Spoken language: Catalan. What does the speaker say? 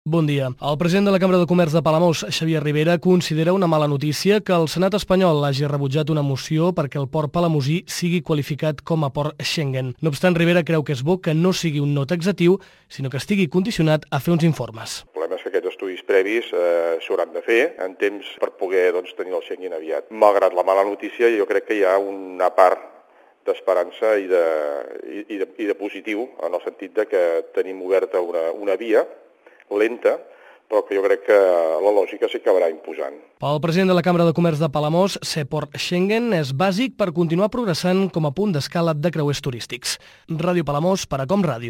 Bon dia. El president de la Cambra de Comerç de Palamós, Xavier Ribera, considera una mala notícia que el Senat espanyol hagi rebutjat una moció perquè el port palamosí sigui qualificat com a port Schengen. No obstant, Ribera creu que és bo que no sigui un no taxatiu, sinó que estigui condicionat a fer uns informes. El problema és que aquests estudis previs s'hauran de fer en temps per poder tenir el Schengen aviat. Malgrat la mala notícia, jo crec que hi ha una part d'esperança i de positiu, en el sentit de que tenim oberta una via lenta, però que jo crec que la lògica s'acabarà imposant. Pel president de la Cambra de Comerç de Palamós, ser port Schengen és bàsic per continuar progressant com a punt d'escala de creuers turístics. Ràdio Palamós, per a Com Ràdio.